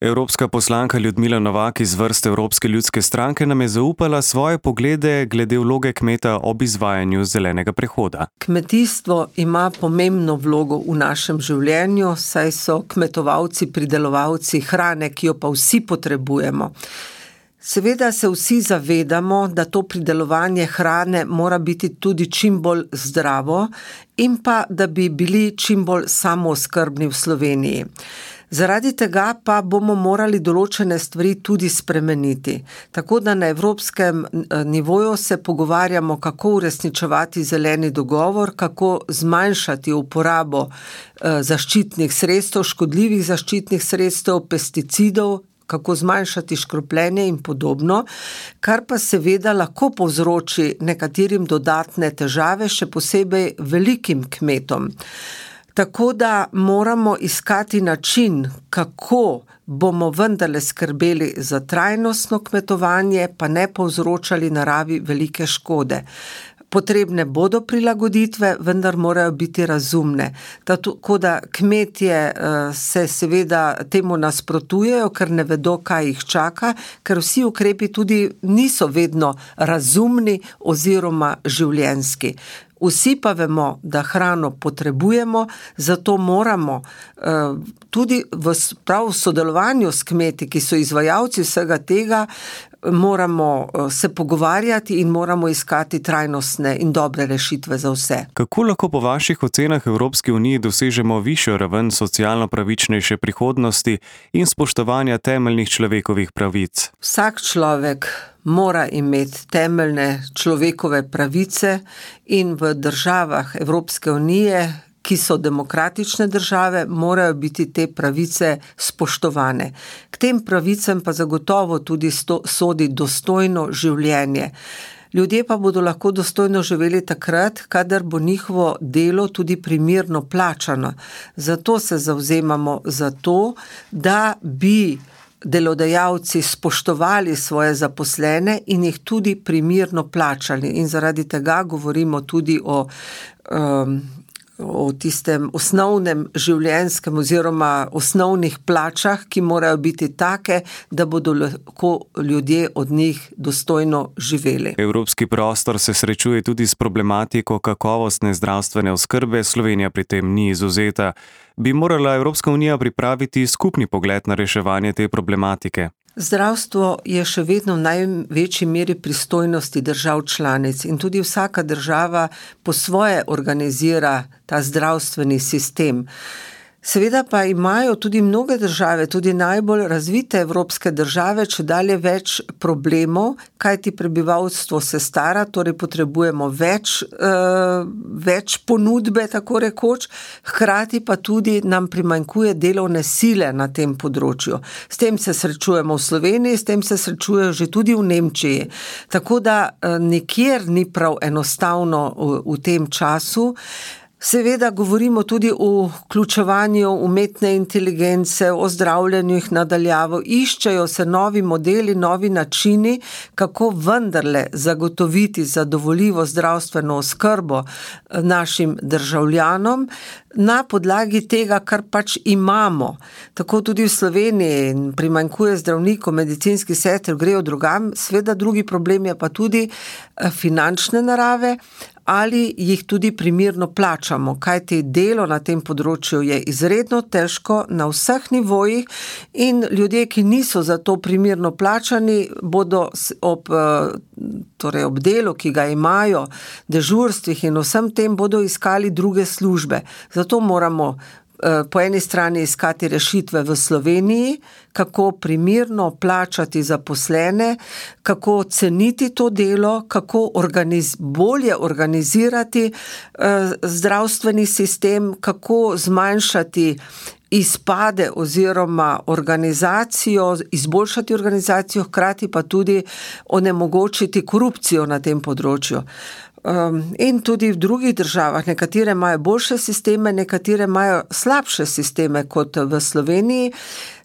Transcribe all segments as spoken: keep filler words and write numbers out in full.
Evropska poslanka Ljudmila Novak iz vrst Evropske ljudske stranke nam je zaupala svoje poglede glede vloge kmeta ob izvajanju zelenega prehoda. Kmetijstvo ima pomembno vlogo v našem življenju, saj so kmetovalci, pridelovalci hrane, ki jo pa vsi potrebujemo. Seveda se vsi zavedamo, da to pridelovanje hrane mora biti tudi čim bolj zdravo in pa, da bi bili čim bolj samooskrbni v Sloveniji. Zaradi tega pa bomo morali določene stvari tudi spremeniti. Tako da na evropskem nivoju se pogovarjamo, kako uresničevati zeleni dogovor, kako zmanjšati uporabo zaščitnih sredstev, škodljivih zaščitnih sredstev, pesticidov, kako zmanjšati škropljenje in podobno, kar pa seveda lahko povzroči nekaterim dodatne težave, še posebej velikim kmetom. Tako da moramo iskati način, kako bomo vendarle skrbeli za trajnostno kmetovanje, pa ne povzročali naravi velike škode. Potrebne bodo prilagoditve, vendar morajo biti razumne. Tako da kmetje se seveda temu nasprotujejo, ker ne vedo, kaj jih čaka, ker vsi ukrepi tudi niso vedno razumni oziroma življenjski. Vsi pa vemo, da hrano potrebujemo, zato moramo tudi v prav sodelovanju s kmeti, ki so izvajalci vsega tega, moramo se pogovarjati in moramo iskati trajnostne in dobre rešitve za vse. Kako lahko po vaših ocenah Evropski uniji dosežemo višjo raven socialno pravičnejše prihodnosti in spoštovanja temeljnih človekovih pravic? Vsak človek mora imeti temeljne človekove pravice in v državah Evropske unije, ki so demokratične države, morajo biti te pravice spoštovane. K tem pravicam pa zagotovo tudi sto, sodi dostojno življenje. Ljudje pa bodo lahko dostojno živeli takrat, kadar bo njihovo delo tudi primerno plačano. Zato se zavzemamo za to, da bi delodajalci spoštovali svoje zaposlene in jih tudi primerno plačali. In zaradi tega govorimo tudi o um, o tistem osnovnem življenjskem oziroma osnovnih plačah, ki morajo biti take, da bodo lahko ljudje od njih dostojno živeli. Evropski prostor se srečuje tudi s problematiko kakovostne zdravstvene oskrbe, Slovenija pri tem ni izvzeta. Bi morala Evropska unija pripraviti skupni pogled na reševanje te problematike? Zdravstvo je še vedno v največji meri pristojnosti držav članic in tudi vsaka država po svoje organizira ta zdravstveni sistem. Seveda pa imajo tudi mnoge države, tudi najbolj razvite evropske države, čedalje več problemov, kajti prebivalstvo se stara, torej potrebujemo več, uh, več ponudbe, tako rekoč, hkrati pa tudi nam primanjkuje delovne sile na tem področju. S tem se srečujemo v Sloveniji, s tem se srečujejo že tudi v Nemčiji. Tako da uh, nikjer ni prav enostavno v, v tem času. Seveda govorimo tudi o vključevanju umetne inteligence, o zdravljenju jih nadaljavo, iščejo se novi modeli, novi načini, kako vendarle zagotoviti zadovoljivo zdravstveno oskrbo našim državljanom na podlagi tega, kar pač imamo. Tako tudi v Sloveniji primanjkuje zdravnikov, medicinskih sester, grejo drugam, seveda drugi problem je pa tudi finančne narave, ali jih tudi primerno plačamo, kajti delo na tem področju je izredno težko na vseh nivojih in ljudje, ki niso za to primerno plačani, bodo ob, torej ob delu, ki ga imajo, dežurstvih in vsem tem, bodo iskali druge službe. Zato moramo po eni strani iskati rešitve v Sloveniji, kako primerno plačati zaposlene, kako ceniti to delo, kako organiz, bolje organizirati eh, zdravstveni sistem, kako zmanjšati izpade oziroma organizacijo, izboljšati organizacijo, hkrati pa tudi onemogočiti korupcijo na tem področju. Um, in tudi v drugih državah, nekatere imajo boljše sisteme, nekatere imajo slabše sisteme kot v Sloveniji.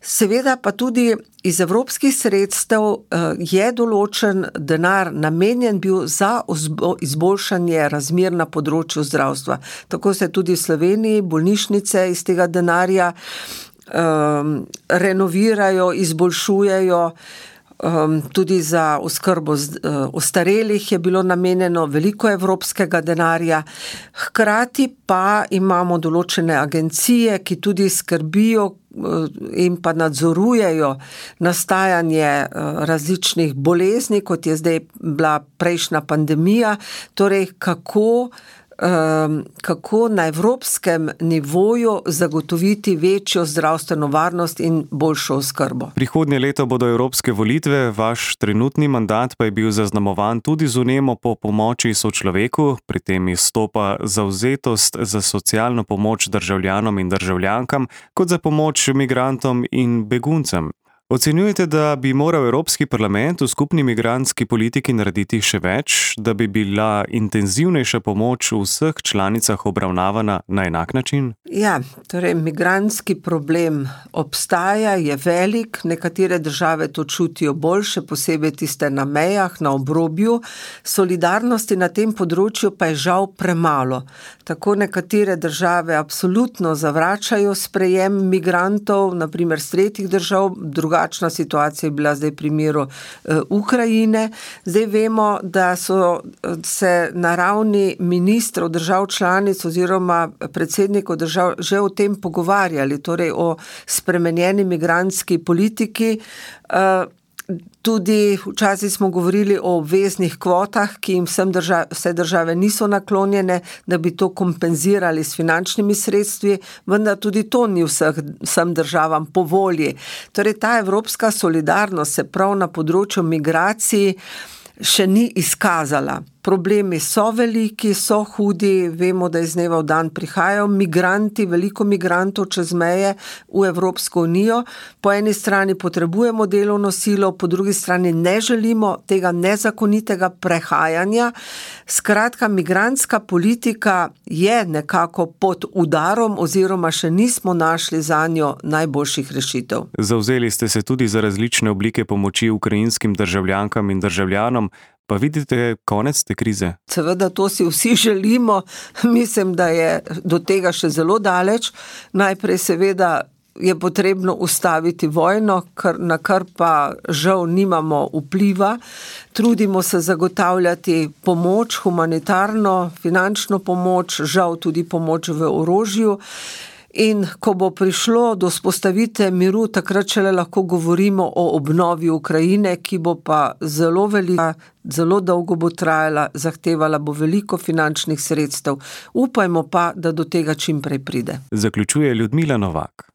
Seveda pa tudi iz evropskih sredstev uh, je določen denar namenjen bil za izboljšanje razmer na področju zdravstva. Tako se tudi v Sloveniji bolnišnice iz tega denarja um, renovirajo, izboljšujejo. Um, tudi za oskrbo uh, ostarelih je bilo namenjeno veliko evropskega denarja. Hkrati pa imamo določene agencije, ki tudi skrbijo uh, in pa nadzorujejo nastajanje uh, različnih bolezni, kot je zdaj bila prejšnja pandemija. Torej, kako kako na evropskem nivoju zagotoviti večjo zdravstveno varnost in boljšo oskrbo. Prihodnje leto bodo evropske volitve, vaš trenutni mandat pa je bil zaznamovan tudi z vnemo po pomoči sočloveku, pri tem izstopa zavzetost za socialno pomoč državljanom in državljankam, kot za pomoč migrantom in beguncem. Ocenjujete, da bi moral Evropski parlament v skupni migrantski politiki narediti še več, da bi bila intenzivnejša pomoč v vseh članicah obravnavana na enak način? Ja, torej migrantski problem obstaja, je velik, nekatere države to čutijo bolj, še posebej tiste na mejah, na obrobju. Solidarnosti na tem področju pa je žal premalo. Tako nekatere države absolutno zavračajo sprejem migrantov, na primer z tretjih držav, drugačna situacija je bila zdaj v primeru uh, Ukrajine. Zdaj vemo, da so se na ravni ministrov držav članic oziroma predsednikov držav že o tem pogovarjali, torej o spremenjeni migrantski politiki. Uh, Tudi včasih smo govorili o obveznih kvotah, ki jim vsem držav, vse države niso naklonjene, da bi to kompenzirali s finančnimi sredstvi, vendar tudi to ni vseh, vsem državam po volji. Torej, ta evropska solidarnost se prav na področju migracij še ni izkazala. Problemi so veliki, so hudi, vemo, da iz dneva v dan prihajajo migranti, veliko migrantov čez meje v Evropsko unijo. Po eni strani potrebujemo delovno silo, po drugi strani ne želimo tega nezakonitega prehajanja. Skratka, migrantska politika je nekako pod udarom oziroma še nismo našli zanjo najboljših rešitev. Zavzeli ste se tudi za različne oblike pomoči ukrajinskim državljankam in državljanom. Pa vidite konec te krize? Seveda to si vsi želimo. Mislim, da je do tega še zelo daleč. Najprej seveda je potrebno ustaviti vojno, na kar pa žal nimamo vpliva. Trudimo se zagotavljati pomoč, humanitarno, finančno pomoč, žal tudi pomoč v orožju. In ko bo prišlo do vzpostavitve miru, takrat šele lahko govorimo o obnovi Ukrajine, ki bo pa zelo velika, zelo dolgo bo trajala, zahtevala bo veliko finančnih sredstev. Upajmo pa, da do tega čim prej pride. Zaključuje Ljudmila Novak.